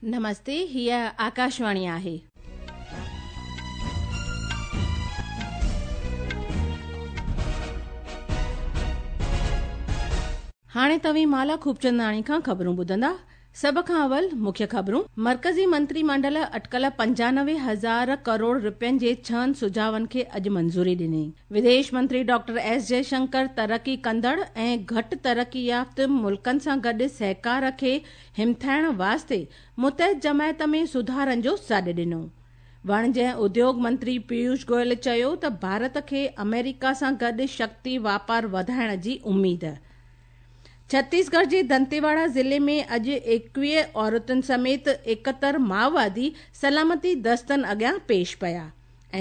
نمستي، هيء آڪاشواڻي آهي. هاڻي توهين مالا خوبچنداڻي کان خبرون ٻڌندا. سڀ کان اول مکيه خبرون. مرڪزي منتري منڊل اٽڪل 95 هزار ڪروڙ رپين جي ڇهن سجهاون کي اڄ منظوري ڏني. وديش منتري ڊاڪٽر ايس جئشنڪر ترقي ڪندڙ ۽ گهٽ ترقي يافته ملڪن سان گڏ سهڪار کي همٿائڻ واسطي متحد جماعت ۾ سڌارن جو سڏ ڏنو. وڻج ۽ اديوگ منتري پيوش گويل چيو ته ڀارت کي آمريڪا سان گڏ شڪتي واپار وڌائڻ جي اميد. ڇتيسڳڙهه جي دنتيواڙا ضلعي ۾ اڄ 21 عورتن سميت 71 مائووادي سلامتي دستن اڳيان پيش پيا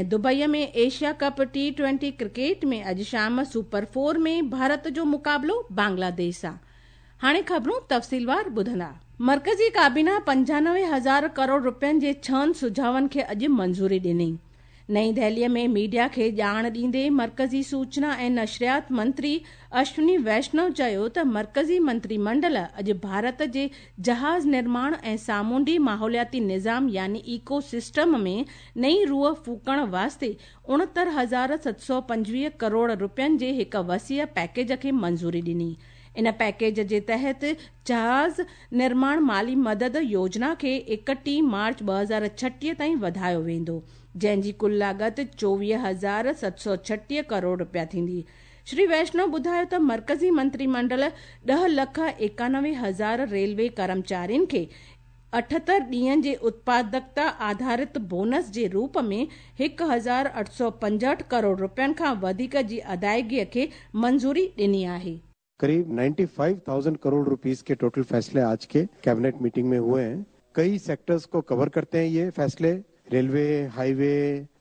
۽ دبئي ۾ ايشيا ڪپ ٽي ٽوئنٽي ڪرڪيٽ ۾ اڄ شام سپر فور ۾ ڀارت جو مقابلو بنگلاديش سان. هاڻي خبرون تفصيلوار ٻڌندا. مرڪزي ڪابينا 95 هزار ڪروڙ رپين جي ڇهن سجهاون کي اڄ منظوري ڏني. نئين دهليء ۾ ميڊيا کي ڄاڻ ڏيندي مرڪزي سوچنا ۽ نشريات منتري اشوني ويشنو چيو ته مرڪزي منتري منڊل اڄ ڀارت جي جهاز نرماڻ ۽ سامونڊي ماحولياتي نظام يعني ايڪو سسٽم ۾ نئين روح ڦوڪڻ واسطي 69,725 ڪروڙ رپين جي هڪ وسيع پيڪيج کي منظوري ڏني. ان پيڪيج جي تحت جهاز نرماڻ مالي مدد يوجنا کي 31 مارچ 2036 تائين وڌايو ويندو، جنهن جي ڪل لاڳت 24,736 ڪروڙ رپيا ٿيندي. شري ويشنو ٻڌايو ته مرڪزي منتري منڊل 10 لک 91 هزار ريلوي ڪرمچارين کي 78 ڏينهن جي اتپادڪتا آڌارت بونس جي روپ ۾ 1865 ڪروڙ رپين کان وڌيڪ جي ادائگي کي منظوري ڏني آهي. करीब 95,000 करोड़ रुपीस के टोटल फैसले आज के कैबिनेट मीटिंग में हुए हैं। कई सेक्टर्स को कवर करते हैं ये फैसले। रेलवे, हाईवे,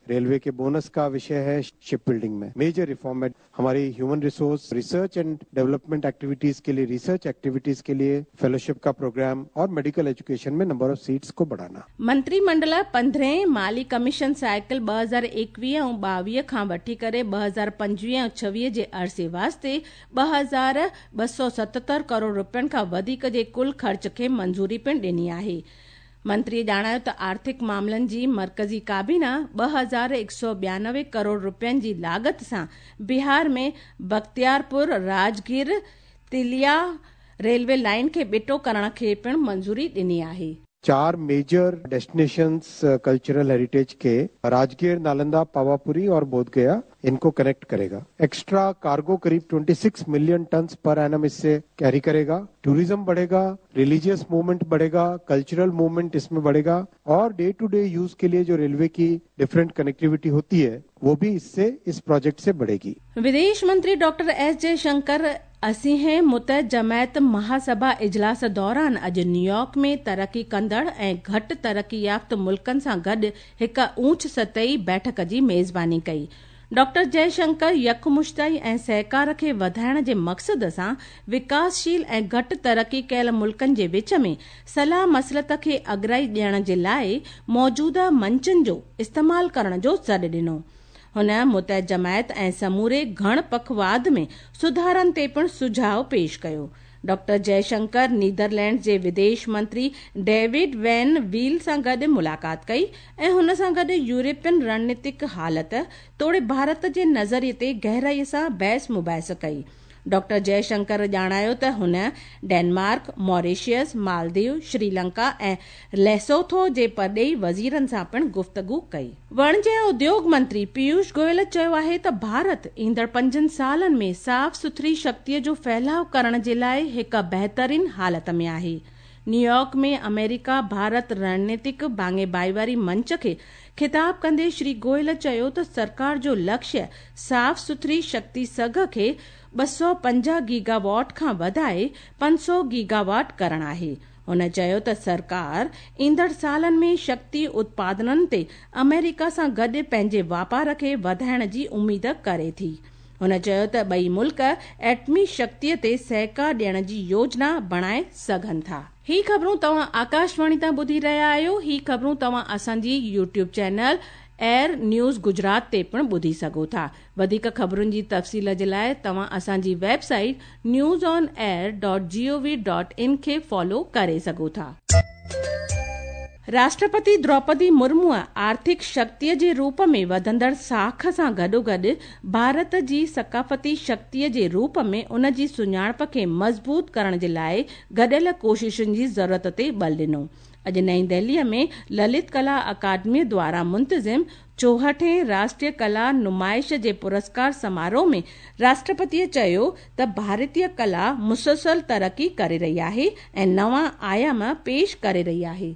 रेलवे के बोनस का विषय है, शिप बिल्डिंग में मेजर रिफॉर्म है। हमारी human resource, research and development activities के लिए, रिसर्च एक्टिविटीज के लिए फेलोशिप का प्रोग्राम और मेडिकल एजुकेशन में नंबर ऑफ सीट्स को बढ़ाना। मंत्रिमंडल 15 माली कमीशन साइकिल 2021 ऐं 22 खां वठी करे 2025 ऐं 26 जे अरसे वास्ते 2277 करोड़ रुपयनि खां वधीक जे कुल ख़र्च खे मंज़ूरी पिणु ॾिनी आहे। मंत्रीअ ॼाणायो त आर्थिक मामलनि जी मर्कज़ी काबीना 2192 करोड़ रुपयनि जी लागत सां बिहार में बख्तियारपुर राजगीर तिलिया रेलवे लाइन खे ॿिटो करण खे पिणु मंज़ूरी ॾिनी आहे। 4 मेजर डेस्टिनेशंस कल्चरल हेरिटेज के राजगीर, नालंदा, पावापुरी और बोधगया, इनको कनेक्ट करेगा। एक्स्ट्रा कार्गो करीब 26 मिलियन टन पर एनम इससे कैरी करेगा। टूरिज्म बढ़ेगा, रिलीजियस मूवमेंट बढ़ेगा, कल्चरल मूवमेंट इसमें बढ़ेगा और डे टू डे यूज के लिए जो रेलवे की डिफरेंट कनेक्टिविटी होती है वो भी इससे, इस प्रोजेक्ट से बढ़ेगी। विदेश मंत्री डॉक्टर एस जयशंकर 80हें मुतहद जमायत महासभा इजलास दौरान अॼु न्यूयॉर्क में तरक़ी कंदड़ ऐं घटि तरक़ी याफ़्त मुल्कनि सां गॾु हिकु ऊंच सतही बैठक जी मेज़बानी कई। डॉक्टर जयशंकर यकमुश्ताई ऐं सहकार खे वधाइण जे मक़सद सां विकासशील ऐं घटि तरक़ी कयल मुल्कनि जे विच में सलाह मसलत खे अगराई ॾियण जे लाइ मौजूदा मंचनि जो इस्तेमाल करण जो सॾु ॾिनो। हुन मुतहद जमायत ऐं समूरे घण पखवाद में सुधारनि ते पिणु सुझाव पेश कयो। डॉक्टर जयशंकर नीदरलैंड जे विदेश मंत्री डेविड वैन वील सां गॾु मुलाक़ात कई ऐं हुन सां गॾु यूरोपियन रणनीतिक हालत तोड़े भारत जे नज़रिए ते गहराईअ सां बहस मुबाहिस कई। डॉक्टर जयशंकर ॼाणायो त हुन डेनमार्क, मॉरिशियस, मालदीव, श्रीलंका ऐं लेसोथो जे परॾेही वज़ीरनि सां पिणु गुफ़्तगू कई। वणज ऐं उद्योग मंत्री पीयूष गोयल चयो आहे त भारत ईंदड़ 5 सालनि में साफ़ सुथरी शक्तिअ जो फैलाव करण जे लाइ हिकु बहितरीन हालत में आहे। न्यूयॉर्क में अमेरिका भारत रणनीतिक भाङे भाईवारी मंच खे ख़िताब कंदे श्री गोयल चयो त सरकार जो लक्ष्य साफ़ सुथरी शक्ति सघ खे 250 गीगावाट खां वधाए 500 गीगावाट करण आहे। हुन चयो त सरकार ईंदड़ सालनि में शक्ति उत्पादननि ते अमेरिका सां गॾु पंहिंजे वापार खे वधाइण जी उमेद करे थी। हुन चयो त ॿई मुल्क एटमी शक्तिअ ते सहकार ॾियण जी योजना बणाए सघनि था। ही ख़बरूं तव्हां आकाशवाणी तां ॿुधी रहिया आहियो। ही ख़बरूं तव्हां असांजी YouTube channel AIR news Gujarat ते पिणु ॿुधी सघो था। वधीक ख़बरुनि जी तफ़सील जे लाइ तव्हां असांजी वेबसाइट newsonair.gov.in खे फॉलो करे सघो था। راشٽرپتي دروپدي مرموءَ آرٿڪ شڪتيءَ جي روپ ۾ وڌندڙ ساک سان گڏوگڏ ڀارت جي ثقافتي شڪتيءَ جي روپ ۾ ان جي سڃاڻپ کي مضبوط ڪرڻ جي لاءِ گڏيل ڪوششن جي ضرورت تي بل ڏنو. اڄ نئين دهليءَ ۾ للت ڪلا اڪادميءَ دواران منتظم 64هين راشٽريه ڪلا نمائش جي پرسڪار سماروهه ۾ راشٽرپتيءَ چيو ته ڀارتيه ڪلا مسلسل ترقي ڪري رهي آهي ۽ نوان آيام پيش ڪري رهي آهي.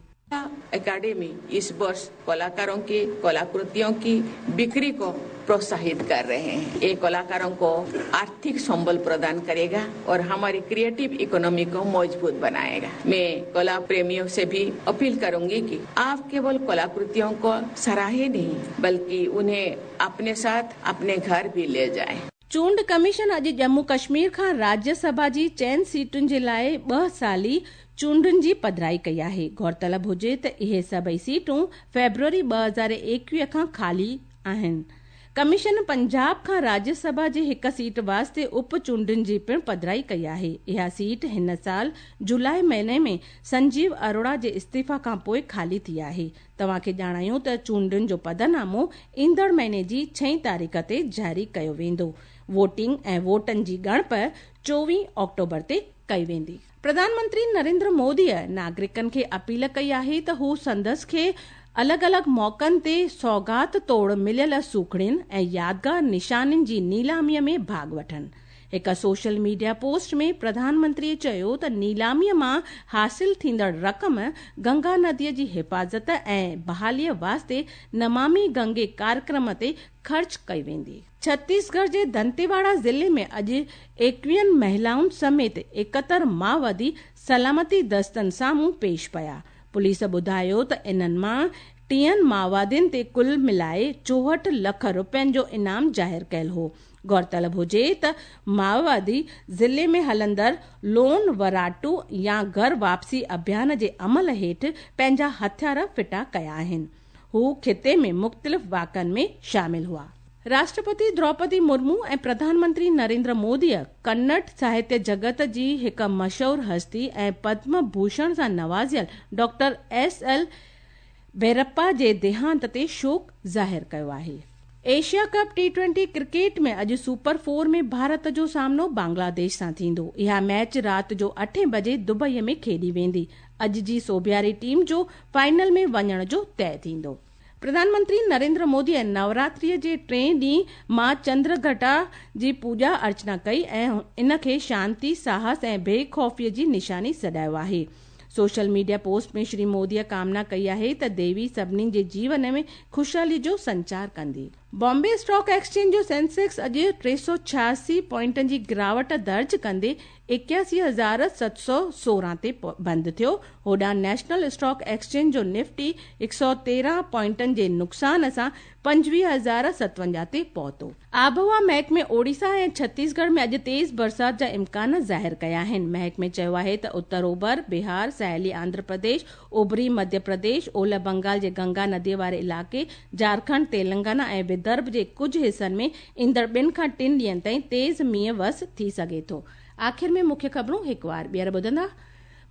अकेडमी इस वर्ष कलाकारों की कलाकृतियों की बिक्री को प्रोत्साहित कर रहे हैं। ये कलाकारों को आर्थिक संबल प्रदान करेगा और हमारी क्रिएटिव इकोनॉमी को मजबूत बनाएगा। मैं कला प्रेमियों से भी अपील करूंगी कि आप केवल कलाकृतियों को सराहे नहीं, बल्कि उन्हें अपने साथ अपने घर भी ले जाएं। चूंड कमीशन अॼु ॼम्मू कश्मीर खां राज्य सभा जी 4 सीटुनि जे लाइ 2 साली चूंडुनि जी पधराई कई आहे। गौरतलब हुजे त इहे सभई सीटूं फेब्रुअरी 2021 खां ख़ाली आहिनि। कमीशन पंजाब खां राज्य सभा जी हिकु सीट वास्ते उप चूंडुनि जी पिणु पधराई कई आहे। इहा सीट हिन साल जुलाई महीने में संजीव अरोड़ा जे इस्तीफ़ा खां पोइ ख़ाली थी आहे। तव्हांखे ॼाणायूं त चूंडुनि जो पधरनामो ईंदड़ महीने जी 6 तारीख़ ते जारी कयो वेंदो। वोटिंग ऐं वोटनि जी ॻणप 24 ऑक्टोबर ते कई वेंदी। प्रधानमंत्री नरेंद्र मोदीअ नागरिकनि खे अपील कई आहे त हू संदसि खे अलॻि अलॻि मौक़नि ते सौगात तौर मिलियल सूखड़ियुनि ऐं यादगार निशानियुनि जी नीलामीअ में भाॻ वठनि। हिकु सोशल मीडिया पोस्ट में प्रधानमंत्रीअ चयो त नीलामीअ मां हासिल थींदड़ रक़म गंगा नदीअ जी हिफ़ाज़त ऐं बहालीअ वास्ते नमामि गंगे कार्यक्रम ते ख़र्च कई वेंदी। छत्तीसगढ़ जे दंतेवाड़ा ज़िले में अॼु 21 महिलाउनि समेत 71 माओवादी सलामती दस्तनि साम्हूं पेश पिया। पुलिस ॿुधायो त इन्हनि मां 30 माओवादियुनि ते कुल मिलाए 64 लख रुपयनि जो इनाम ज़ाहिर कयल हो। गौरतलब हुजे त माओवादी ज़िले में हलंदड़ लोन वराटू या घर वापसी अभियान जे अमल हेठि पंहिंजा हथियार फिटा कया आहिनि। हू ख़िते में मुख़्तलिफ़ वाक़नि में शामिल हुआ। राष्ट्रपति द्रौपदी मुर्मू ऐं प्रधानमंत्री नरेंद्र मोदीअ कन्नड़ साहित्य जगत जी हिकु मशहूर हस्ती ऐं पद्म भूषण सां नवाज़ियल डॉक्टर एस.एल. भैरप्पा जे देहांत ते शोक ज़ाहिर कयो आहे। एशिया कप T20 cricket में अॼु सुपर 4 में भारत जो सामनो बांग्लादेश सां थींदो। इहा मैच राति जो 8 बजे दुबईअ में खेॾी वेंदी। अॼु जी सोबियारी टीम जो फाइनल में वञण जो तय थींदो। प्रधानमंत्री नरेंद्र मोदीअ नवरात्रीअ जे टें ॾींहुं मां चंद्रघटा जी पूॼा अर्चना कई ऐं इन खे शांति, साहस ऐं बेख़ौफ़ीअ जी निशानी सॾायो आहे। सोशल मीडिया पोस्ट में श्री मोदीअ कामना कई आहे त देवी सभिनी जे जीवन में ख़ुशहाली जो संचार कंदी। बॉम्बे स्टॉक एक्सचेंज जो सेंसेक्स अॼु 386 पॉइंटनि जी गिरावट दर्ज कंदे 81,716 ते बंदि थियो। होॾां नेशनल स्टॉक एक्सचेंज जो निफ्टी 113 पॉइंटनि जे नुक़सान सां 25,057 ते पहुतो। आबहवा महकमे ओडिशा ऐं छत्तीसगढ़ में अॼु तेज़ बरसात जा इम्कान ज़ाहिर कया आहिनि। महकमे चयो आहे त उत्तर ओभर, बिहार, साहिली आंध्र प्रदेश, उभरी मध्य प्रदेश, ओलह बंगाल जे गंगा नदीअ वारे इलाइक़े, झारखंड, तेलंगाना ऐं विदर्भ जे कुझु हिसनि में ईंदड़ 2 खां 3 ॾींहंनि ताईं तेज़ मींहुं वस थी सघे थो। आख़िर में मुख्य ख़बरूं हिकु वार ॿीहर ॿुधंदा।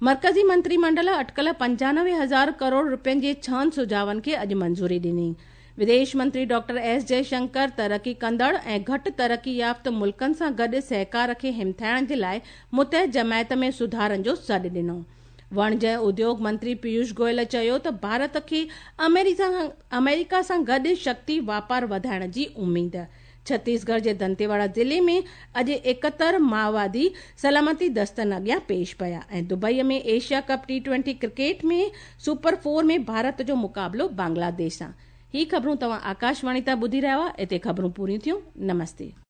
मर्कज़ी मंत्रीमंडल अटकल 95,000 करोड़ रुपयनि जे 6 सुझावनि खे अॼु मंज़ूरी ॾिनी। विदेश मंत्री डॉक्टर एस जयशंकर तरक़ी कंदड़ ऐं घटि तरक़ी याफ़्त मुल्कनि सां गॾु सहकार खे हिमथाइण जे लाइ मुतहद जमायत में सुधारनि जो सॾु ॾिनो। वणिज ऐं उद्योग मंत्री पीयूष गोयल चयो त भारत खे अमेरिका सां गॾु शक्ति वापार वधाइण जी उमेद। छत्तीसगढ़ जे दंतेवाड़ा ज़िले में अॼु 71 माओवादी सलामती दस्तनि अॻियां पेश पिया ऐं दुबईअ में एशिया कप T20 cricket में सुपर 4 में भारत जो मुक़ाबिलो बांग्लादेश सां। ही ख़बरूं तव्हां आकाशवाणी तां ॿुधी रहिया हुआ। हिते ख़बरूं पूरियूं थियूं। नमस्ते।